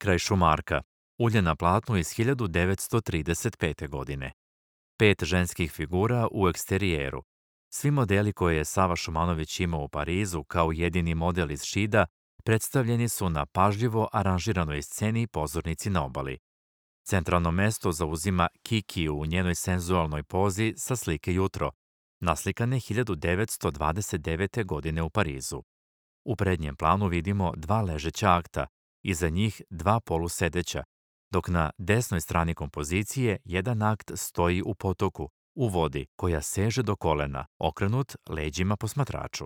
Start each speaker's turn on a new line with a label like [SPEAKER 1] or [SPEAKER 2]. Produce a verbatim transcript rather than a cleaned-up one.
[SPEAKER 1] kraj Šumarka, ulje na platnu iz hiljadu devetsto trideset pete. godine. Pet ženskih figura u eksterijeru. Svi modeli koje je Sava Šumanović imao u Parizu kao jedini model iz Šida predstavljeni su na pažljivo aranžiranoj sceni pozornici na obali. Centralno mesto zauzima Kiki u njenoj senzualnoj pozi sa slike Jutro, naslikane hiljadu devetsto dvadeset devete. godine u Parizu. U prednjem planu vidimo dva ležeća akta, iza njih dva polusedeća, dok na desnoj strani kompozicije jedan akt stoji u potoku, u vodi, koja seže do kolena, okrenut leđima posmatraču.